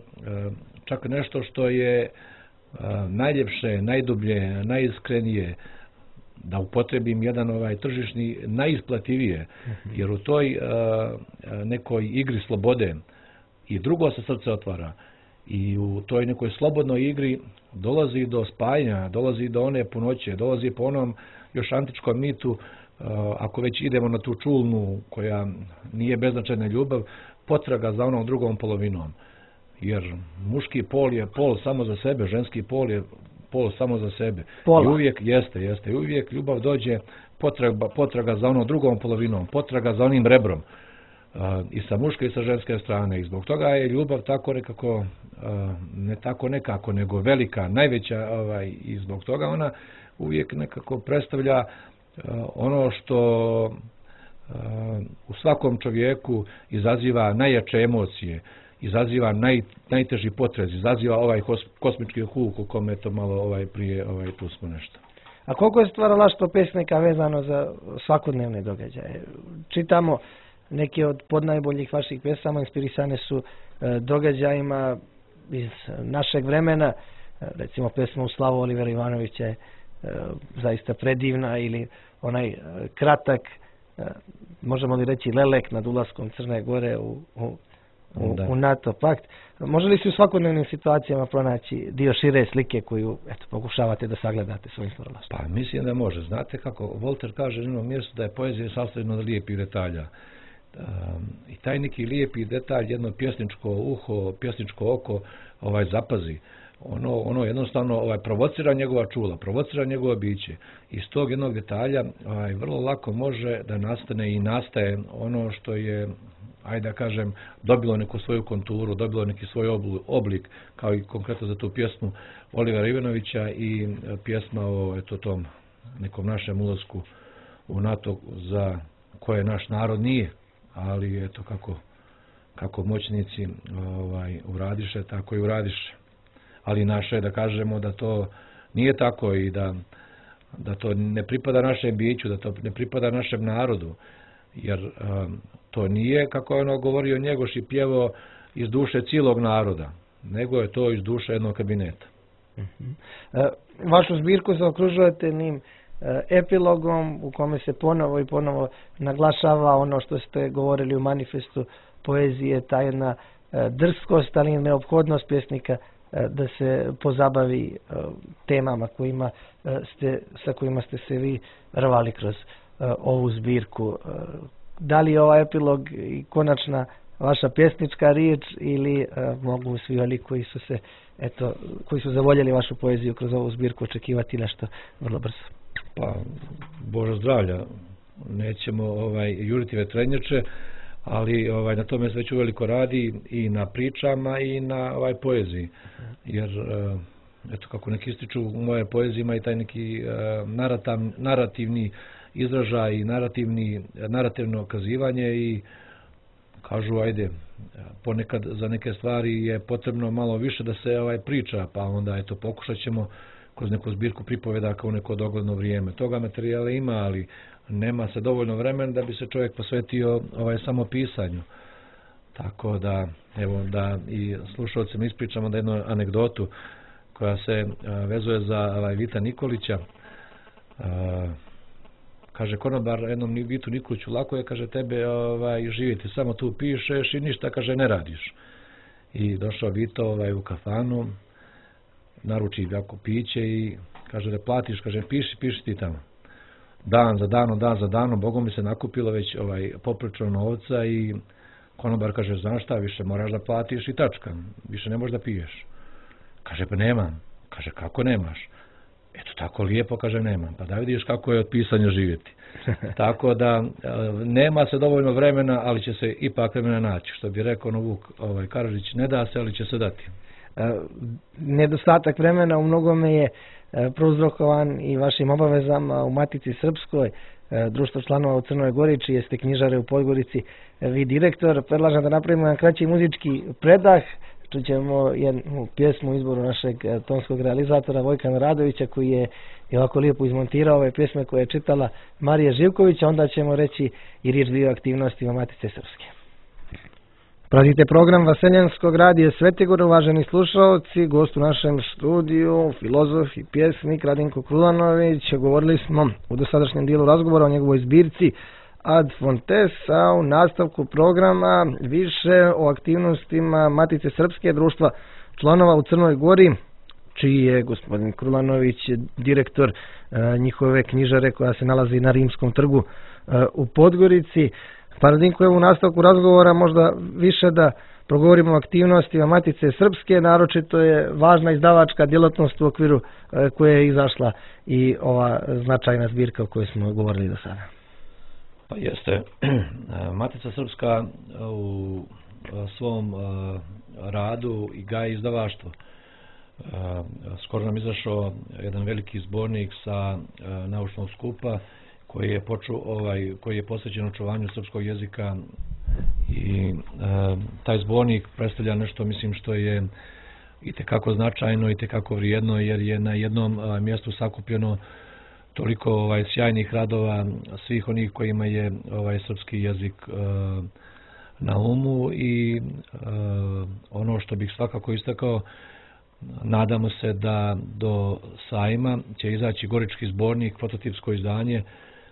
[SPEAKER 2] čak nešto što je uh, najljepše, najdublje, najiskrenije, da upotrebim jedan ovaj tržišni, najisplativije, jer u toj uh, nekoj igri slobode i drugo se srce otvara i u toj nekoj slobodnoj igri dolazi do spajanja, dolazi do one punoće, dolazi po onom još antičkom mitu, uh, ako već idemo na tu čulnu koja nije beznačajna ljubav, potraga za onom drugom polovinom, jer muški pol je pol samo za sebe, ženski pol je pol samo za sebe. Pola. I uvijek jeste, jeste. I uvijek ljubav dođe potraga, potraga za onom drugom polovinom, potraga za onim rebrom. Uh, I sa muške i sa ženske strane. I zbog toga je ljubav tako nekako, uh, ne tako nekako, nego velika, najveća, ovaj, i zbog toga ona uvijek nekako predstavlja uh, ono što uh, u svakom čovjeku izaziva najjače emocije, izaziva naj, najteži potrez, izaziva ovaj kos, kosmički huk u kome to malo ovaj prije ovaj tu smo nešto.
[SPEAKER 1] A koliko je stvaralaštvo pesnika vezano za svakodnevne događaje? Čitamo neke od podnajboljih vaših pjesama inspirisane su e, događajima iz našeg vremena, e, recimo pesma u slavu Olivera Ivanovića je e, zaista predivna, ili onaj e, kratak, e, možemo li reći lelek nad ulaskom Crne Gore u, u U, u NATO pakt. Može li se u svakodnevnim situacijama pronaći dio šire slike koju eto, pokušavate da sagledate svojim stvaralaštvom?
[SPEAKER 2] Pa mislim da može. Znate kako Volter kaže na jednom mjestu da je poezija sastavljena od lijepih detalja. Um, I taj neki lijepi detalj, jedno pjesničko uho, pjesničko oko ovaj zapazi. Ono, ono jednostavno ovaj, provocira njegova čula, provocira njegova biće. Iz tog jednog detalja ovaj, vrlo lako može da nastane i nastaje ono što je, ajde da kažem, dobilo neku svoju konturu, dobilo neki svoj oblik, kao i konkretno za tu pjesmu Olivera Ivanovića i pjesma o eto, tom nekom našem ulasku u NATO za koje naš narod nije, ali eto kako, kako moćnici ovaj, uradiše, tako i uradiše. Ali naše je da kažemo da to nije tako i da, da to ne pripada našem biću, da to ne pripada našem narodu, jer um, to nije, kako je ono govorio Njegoš i pjevao, iz duše cijelog naroda, nego je to iz duše jednog kabineta.
[SPEAKER 1] Uh-huh. E, vašu zbirku zaokružujete njim epilogom u kome se ponovo i ponovo naglašava ono što ste govorili u manifestu poezije, ta jedna drskost, ali i neophodnost pjesnika da se pozabavi temama kojima ste, sa kojima ste se vi rvali kroz ovu zbirku. Da li je ovaj epilog i konačna vaša pjesnička riječ ili mogu svi oni koji su se, eto, koji su zavoljeli vašu poeziju kroz ovu zbirku očekivati nešto vrlo brzo?
[SPEAKER 2] Pa, Bože zdravlja, nećemo ovaj, juriti vetrenjače, ali ovaj, na tome se već uveliko radi i na pričama i na ovaj, poeziji. Jer, eto, kako neki ističu, u moje poeziji ima i taj neki narativ, narativni izražaj i narativni, narativno okazivanje i kažu, ajde, ponekad za neke stvari je potrebno malo više da se ovaj, priča, pa onda, eto, pokušat ćemo kroz neku zbirku pripovedaka u neko dogledno vrijeme. Toga materijala ima, ali nema se dovoljno vremena da bi se čovjek posvetio ovaj samo pisanju. Tako da, evo, da i slušalcima ispričamo da jednu anegdotu koja se a, vezuje za ovaj, Vita Nikolića. A, kaže konobar jednom Vitu Nikoliću, lako je, kaže, tebe ovaj, živjeti, samo tu pišeš i ništa, kaže, ne radiš. I došao Vito ovaj, u kafanu, naruči jako piće i kaže da platiš, kaže piši, piši ti tamo. Dan za danom, dan za danom, Bogom mi se nakupilo već ovaj poprično novca i konobar kaže, znaš šta, više moraš da platiš i tačka, više ne možeš da piješ. Kaže, pa nemam. Kaže, kako nemaš? Eto, tako lijepo, kaže, nemam. Pa da vidiš kako je od pisanja živjeti. Tako da, nema se dovoljno vremena, ali će se ipak vremena naći. Što bi rekao Vuk ovaj, Karadžić, ne da se, ali će se dati.
[SPEAKER 1] Nedostatak vremena u mnogome je prouzrokovan i vašim obavezama u Matici Srpskoj, društvo članova u Crnoj Gori, čije ste knjižare u Podgorici vi direktor. Predlažem da napravimo jedan kraći muzički predah. Čućemo jednu pjesmu u izboru našeg tonskog realizatora Vojka Radovića, koji je i ovako lijepo izmontirao ove pjesme koje je čitala Marija Živković, a onda ćemo reći i riječ dio aktivnostima Matice Srpske. Pratite program Vaseljenskog radija Svetigor, uvaženi slušalci, gost u našem studiju, filozof i pjesnik Radinko Krulanović. Govorili smo u dosadašnjem dijelu razgovora o njegovoj zbirci Ad Fontes, a u nastavku programa više o aktivnostima Matice Srpske, društva članova u Crnoj Gori, čiji je gospodin Krulanović direktor e, njihove knjižare koja se nalazi na Rimskom trgu e, u Podgorici. Pa Radinko, evo u nastavku razgovora možda više da progovorimo o aktivnostima Matice Srpske, naročito je važna izdavačka djelatnost u okviru e, koje je izašla i ova značajna zbirka o kojoj smo govorili do sada.
[SPEAKER 2] Pa jeste, Matica Srpska u svom radu i gaji izdavaštvo. Skoro nam izašao jedan veliki zbornik sa naučnog skupa koji je poču, ovaj koji je posvećen očuvanju srpskog jezika i taj zbornik predstavlja nešto, mislim, što je itekako značajno i itekako vrijedno, jer je na jednom mjestu sakupljeno toliko ovaj sjajnih radova svih onih kojima je ovaj srpski jezik e, na umu i e, ono što bih svakako istakao, nadamo se da do sajma će izaći Gorički zbornik, prototipsko izdanje,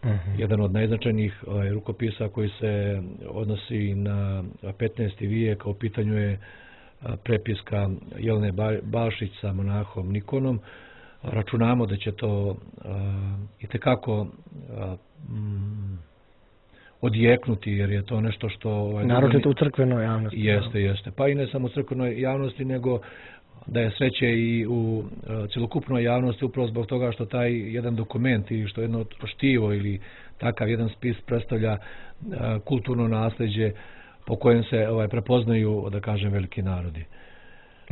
[SPEAKER 2] uh-huh. jedan od najznačajnijih ovaj, rukopisa koji se odnosi na petnaesti vijek, a u pitanju je prepiska Jelene Balšić sa monahom Nikonom. Računamo da će to uh, itekako uh, mm, odjeknuti, jer je to nešto što... Ovaj,
[SPEAKER 1] naročito u crkvenoj javnosti.
[SPEAKER 2] Jeste, jeste. Pa i ne samo u crkvenoj javnosti, nego da je sreće i u uh, cjelokupnoj javnosti, upravo zbog toga što taj jedan dokument ili što jedno štivo ili takav jedan spis predstavlja uh, kulturno nasljeđe po kojem se ovaj, prepoznaju, da kažem, veliki narodi.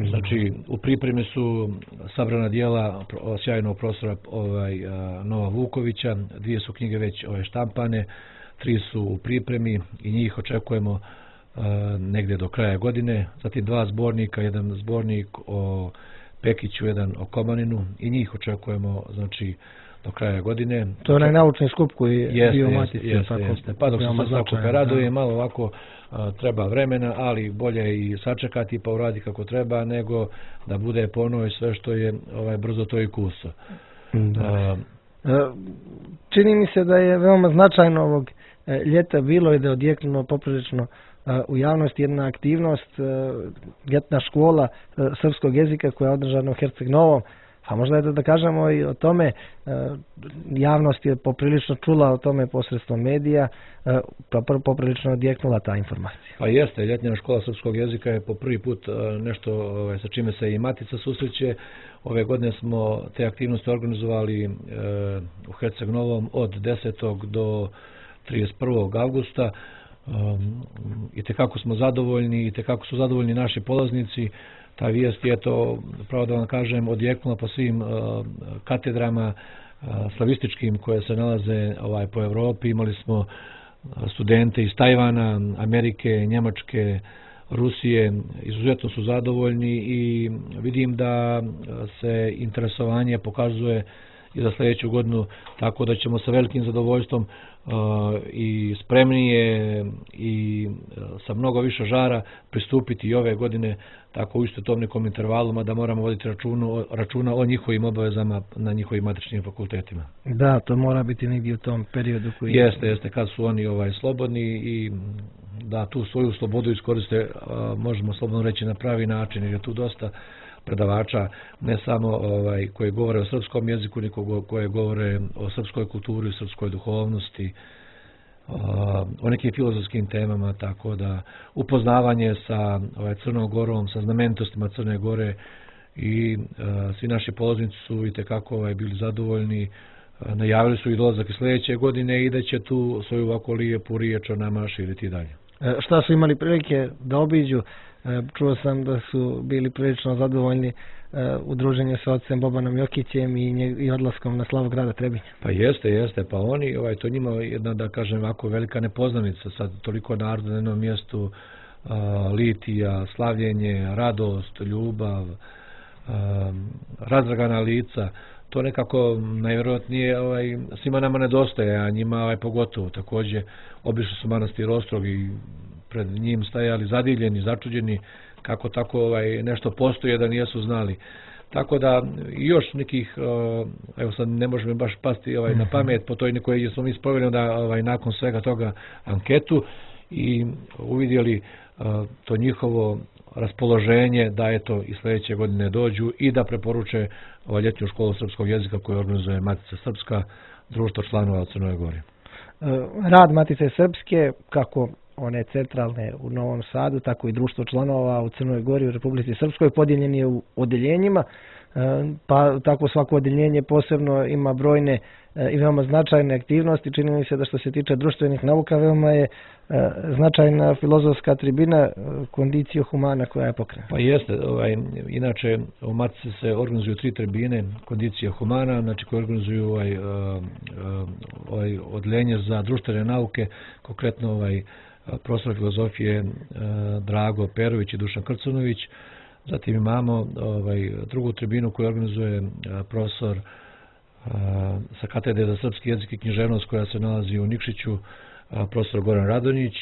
[SPEAKER 2] Znači, u pripremi su sabrana dijela sjajnog profesora ovaj, Nova Vukovića, dvije su knjige već ovaj, štampane, tri su u pripremi i njih očekujemo uh, negdje do kraja godine. Zatim dva zbornika, jedan zbornik o Pekiću, jedan o Komaninu i njih očekujemo, znači, do kraja godine.
[SPEAKER 1] To je onaj naučni skup koji je
[SPEAKER 2] jeste,
[SPEAKER 1] bio u Matici.
[SPEAKER 2] Jeste,
[SPEAKER 1] tako,
[SPEAKER 2] jeste. Pa dok se sve svako raduje, malo ovako a, treba vremena, ali bolje i sačekati pa uradi kako treba, nego da bude ponovo sve što je ovaj, brzo to i kuso.
[SPEAKER 1] Da. A, čini mi se da je veoma značajno ovog ljeta bilo i da je odjeknulo poprilično u javnosti jedna aktivnost, ljetna škola srpskog jezika koja je održana u Herceg Novom. A možda je da, da kažemo i o tome, javnost je poprilično čula o tome posredstvom medija, pa poprilično odjeknula ta informacija.
[SPEAKER 2] Pa jeste, ljetna škola srpskog jezika je po prvi put nešto ovaj, sa čime se i Matica susreće. Ove godine smo te aktivnosti organizovali e, u Herceg Novom od desetog do trideset prvog avgusta. Um, i tekako smo zadovoljni i tekako su zadovoljni naši polaznici. Ta vijest je to, pravo da vam kažem, odjeknula po svim uh, katedrama uh, slavističkim koje se nalaze ovaj, po Evropi. Imali smo studente iz Tajvana, Amerike, Njemačke, Rusije. Izuzetno su zadovoljni i vidim da se interesovanje pokazuje i za sljedeću godinu, tako da ćemo sa velikim zadovoljstvom uh, i spremnije i uh, sa mnogo više žara pristupiti i ove godine tako u isto tom nekom intervalima da moramo voditi računu, računa o njihovim obavezama na njihovim matičnim fakultetima.
[SPEAKER 1] Da, to mora biti negdje u tom periodu koji...
[SPEAKER 2] Jeste, jeste, kad su oni ovaj, slobodni i da tu svoju slobodu iskoriste, uh, možemo slobodno reći na pravi način, jer je tu dosta predavača, ne samo ovaj, koji govore o srpskom jeziku, nego koji govore o srpskoj kulturi, o srpskoj duhovnosti, o nekim filozofskim temama, tako da upoznavanje sa ovaj, Crnom Gorom, sa znamenitostima Crne Gore i a, svi naši polaznici su i tekako ovaj, bili zadovoljni. A, najavili su i dolazak sljedeće godine i da će tu svoju ovako lijepu riječ o nama širiti dalje.
[SPEAKER 1] E, šta su imali prilike da obiđu? Čuo sam da su bili prilično zadovoljni u druženju sa ocem Bobanom Jokićem i, i odlaskom na slavu grada Trebinja.
[SPEAKER 2] Pa jeste, jeste. Pa oni, ovaj, to njima jedna, da kažem, ovako velika nepoznanica. Sad toliko naroda na jednom mjestu, a, litija, slavljenje, radost, ljubav, a, razdragana lica. To nekako najvjerojatnije ovaj, svima nama nedostaje, a njima ovaj, pogotovo. Također obišli su manastir Ostrog i pred njim stajali zadivljeni, začuđeni kako tako ovaj, nešto postoje da nijesu znali. Tako da još nekih, evo sad ne možemo baš pasti ovaj, na pamet po toj nekoj smo mi sproveli da ovaj, nakon svega toga anketu i uvidjeli to njihovo raspoloženje da eto i sljedeće godine dođu i da preporuče ovaj, ljetnju školu srpskog jezika koju organizuje Matica Srpska, društvo članova u Crnoj Gori.
[SPEAKER 1] Rad Matice Srpske, kako one centralne u Novom Sadu, tako i društvo članova u Crnoj Gori u Republici Srpskoj, podijeljen je u odeljenjima, pa tako svako odeljenje posebno ima brojne i veoma značajne aktivnosti. Čini mi se da što se tiče društvenih nauka veoma je značajna filozofska tribina Conditio Humana koja je pokrenuta.
[SPEAKER 2] Pa jeste, ovaj, inače u Matici se organizuju tri tribine Conditio Humana, znači koje organizuju ovaj, ovaj odeljenje za društvene nauke, konkretno ovaj profesor filozofije Drago Perović i Dušan Krcunović. Zatim imamo ovaj, drugu tribinu koju organizuje profesor sa katedre za srpski jezik i književnost koja se nalazi u Nikšiću, profesor Goran Radonjić.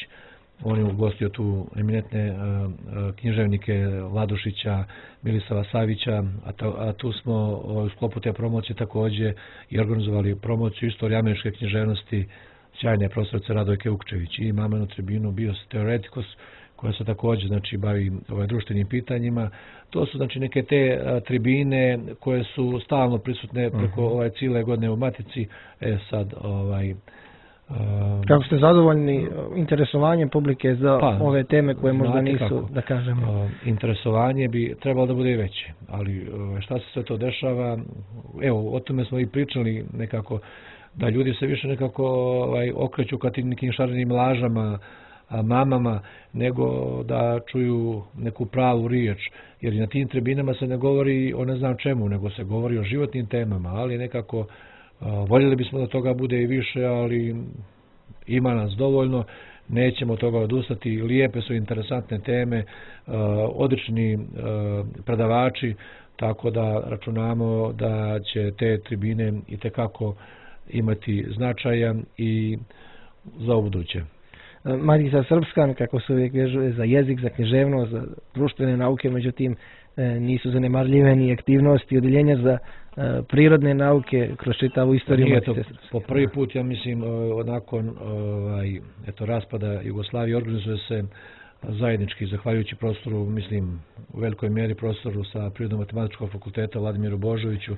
[SPEAKER 2] On je ugostio tu eminentne književnike Vladušića, Milisava Savića, a, ta, a tu smo u sklopu te promocije također i organizovali promociju istorije američke književnosti sjajne profesorice Radojke Ukčević. I imamo jednu tribinu Bios Theoreticus koja se također znači, bavi ovaj, društvenim pitanjima. To su znači, neke te a, tribine koje su stalno prisutne preko uh-huh. ovaj, cijele godine u Matici. E sad, ovaj, a,
[SPEAKER 1] kako ste zadovoljni interesovanjem publike za pa, ove teme koje možda nisu, kako, da kažemo?
[SPEAKER 2] A, interesovanje bi trebalo da bude veće, ali a, šta se sve to dešava? Evo, o tome smo i pričali nekako, da ljudi se više nekako ovaj, okreću ka tim nekim šarenim lažama, a, mamama, nego da čuju neku pravu riječ. Jer na tim tribinama se ne govori o ne znam čemu, nego se govori o životnim temama, ali nekako a, voljeli bismo da toga bude i više, ali ima nas dovoljno. nećemo od toga odustati. Lijepe su interesantne teme, odlični predavači, tako da računamo da će te tribine itekako imati značajan i za buduće.
[SPEAKER 1] Matica Srpska, kako se uvijek vezuje za jezik, za književnost, za društvene nauke, međutim nisu zanemarljive ni aktivnosti odjeljenja za prirodne nauke kroz čitavu istoriju Matice Srpske.
[SPEAKER 2] Po prvi put, ja mislim, nakon ovaj, eto, raspada Jugoslavije organizuje se zajednički, zahvaljujući prostoru, mislim, u velikoj mjeri prostoru sa Prirodno-matematičkog fakulteta Vladimiru Božoviću,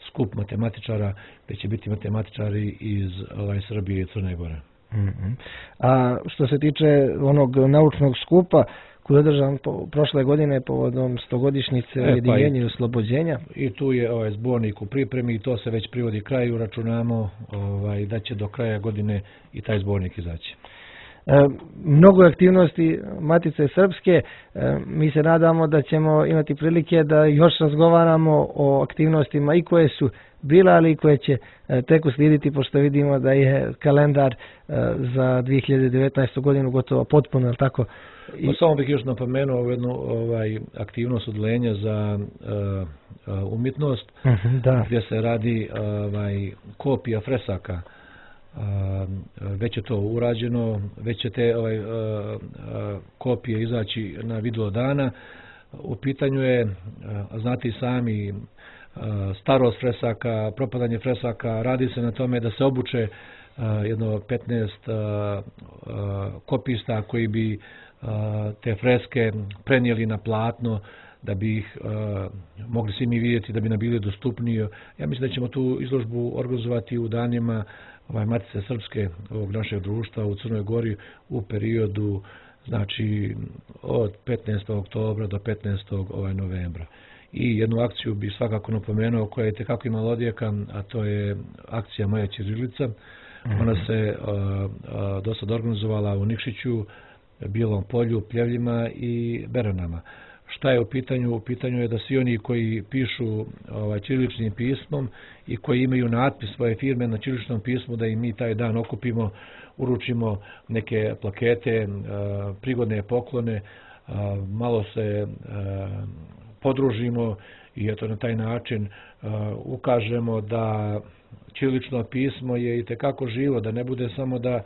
[SPEAKER 2] skup matematičara, gdje će biti matematičari iz ovaj, Srbije i Crne Gore.
[SPEAKER 1] Mm-hmm. A što se tiče onog naučnog skupa koji je održan po, prošle godine povodom stogodišnjice e, ujedinjenja i oslobođenja.
[SPEAKER 2] I tu je ovaj zbornik u pripremi i to se već privodi kraju, računamo ovaj, da će do kraja godine i taj zbornik izaći.
[SPEAKER 1] E, mnogo aktivnosti Matice Srpske, e, mi se nadamo da ćemo imati prilike da još razgovaramo o aktivnostima i koje su bila, ali i koje će e, tek uslijediti, pošto vidimo da je kalendar e, za dvije hiljade devetnaestu godinu gotovo potpuno, ali tako?
[SPEAKER 2] I... Pa samo bih još napomenuo jednu ovaj, aktivnost odlenja za uh, uh, umjetnost,
[SPEAKER 1] uh-huh, da.
[SPEAKER 2] Gdje se radi ovaj, kopija fresaka. Uh, već je to urađeno, već će te ovaj, uh, uh, kopije izaći na video dana. U pitanju je, uh, znate i sami, uh, starost fresaka, propadanje fresaka, radi se na tome da se obuče uh, jedno petnaest uh, uh, kopista koji bi te freske prenijeli na platno, da bi ih uh, mogli svi mi vidjeti, da bi nam bili dostupniji. Ja mislim da ćemo tu izložbu organizovati u danima ovaj, Matice Srpske, ovog našeg društva u Crnoj Gori u periodu, znači, od petnaestog oktobra do petnaestog ovaj, novembra. I jednu akciju bi svakako napomenuo koja je tekako imala odjeka, a to je akcija Moja ćirilica. Ona se uh, uh, do sad organizovala u Nikšiću, Bijelom polju, Pljevljima i Beranama. Šta je u pitanju? U pitanju je da svi oni koji pišu ovaj, ćiriličnim pismom i koji imaju natpis svoje firme na ćiriličnom pismu, da im mi taj dan okupimo, uručimo neke plakete, prigodne poklone, malo se podružimo i eto na taj način ukažemo da ćirilično pismo je itekako živo, da ne bude samo da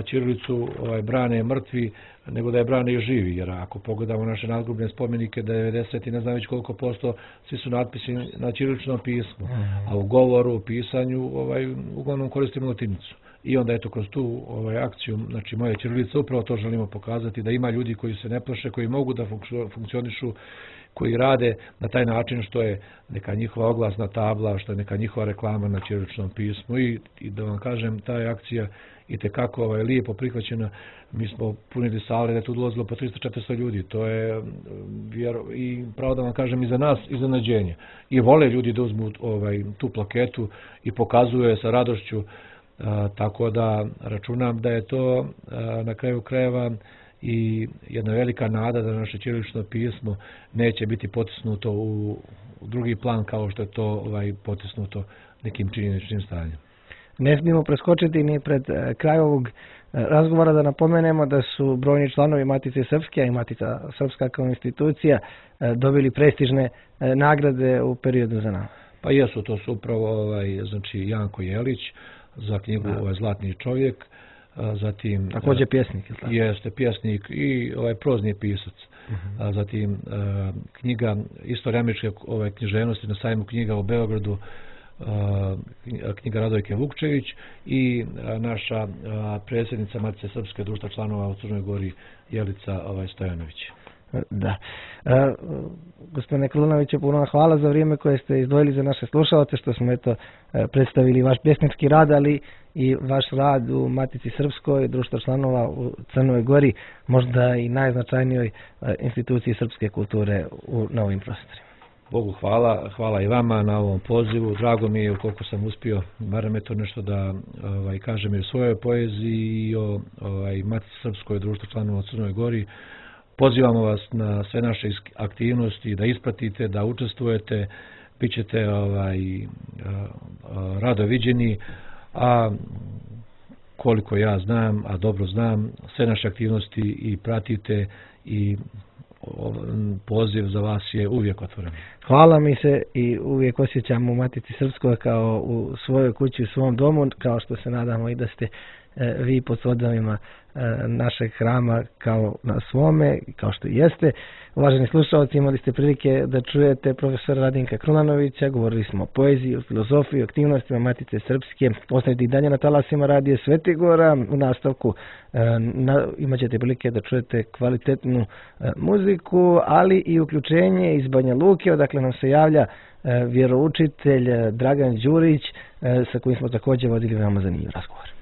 [SPEAKER 2] ćirilicu ovaj, brane mrtvi, nego da je brane i živi, jer ako pogledamo naše nadgrobne spomenike, devedeset i ne znam već koliko posto, svi su natpisi na ćiriličnom pismu, a u govoru, u pisanju, ovaj, uglavnom koristimo latinicu. I onda eto kroz tu ovaj, akciju, znači Moja ćirilica, upravo to želimo pokazati, da ima ljudi koji se ne plaše, koji mogu da funkcionišu, koji rade na taj način što je neka njihova oglasna tabla, što je neka njihova reklama na ćiriličnom pismu. I, i da vam kažem, ta akcija i tekako ovaj, lijepo prihvaćena. Mi smo punili sale, da je tu dolazilo po tristo do četiristo ljudi. To je vjero, i pravo da vam kažem i za nas iznenađenje. I vole ljudi da uzmu ovaj, tu plaketu i pokazuje sa radošću. A, tako da računam da je to a, na kraju krajeva i jedna velika nada da naše ćirilično pismo neće biti potisnuto u, u drugi plan kao što je to ovaj, potisnuto nekim činjeničnim stanjem.
[SPEAKER 1] Ne smijemo preskočiti ni pred kraj ovog razgovora da napomenemo da su brojni članovi Matice Srpske i Matica Srpska kao institucija dobili prestižne nagrade u periodu za nama.
[SPEAKER 2] Pa jesu, to su upravo ovaj, znači Janko Jelić za knjigu ovaj, Zlatni čovjek, zatim
[SPEAKER 1] također pjesnik, je tako?
[SPEAKER 2] Jeste pjesnik i ovaj prozni pisac. Uh-huh. A zatim a, knjiga Istorija američke ovaj, književnosti na sajmu knjiga u Beogradu, a, knjiga Radojke Vukčević i a, naša a, predsjednica Matice Srpske društva članova u Crnoj Gori Jelica ovaj, Stojanović.
[SPEAKER 1] Da. E, gospodine Krunoviću, puno hvala za vrijeme koje ste izdvojili za naše slušalce, što smo eto predstavili vaš pjesnički rad, ali i vaš rad u Matici Srpskoj, društva članova u Crnoj Gori, možda i najznačajnijoj instituciji srpske kulture u novim prostorima.
[SPEAKER 2] Bogu hvala, hvala i vama na ovom pozivu. Drago mi je ukoliko sam uspio, barem eto nešto da ovaj, kažem i u svojoj poeziji i o ovaj, Matici Srpskoj, društva članova u Crnoj Gori. Pozivamo vas na sve naše aktivnosti, da ispratite, da učestvujete, bit ćete ovaj, rado viđeni, a koliko ja znam, a dobro znam, sve naše aktivnosti i pratite i poziv za vas je uvijek otvoren.
[SPEAKER 1] Hvala, mi se i uvijek osjećamo u Matici Srpskoj kao u svojoj kući, u svom domu, kao što se nadamo i da ste e, vi pod svodovima e, našeg hrama kao na svome, kao što i jeste. Uvaženi slušalci, imali ste prilike da čujete profesora Radinka Krunanovića, govorili smo o poeziji, o filozofiji, o aktivnostima Matice Srpske. Ostanite i dalje na talasima Radija Svetigora. U nastavku e, na, imat ćete prilike da čujete kvalitetnu e, muziku, ali i uključenje iz Banja Luke, odakle nam se javlja e, vjeroučitelj Dragan Đurić, e, sa kojim smo također vodili veoma zanimljiv razgovor.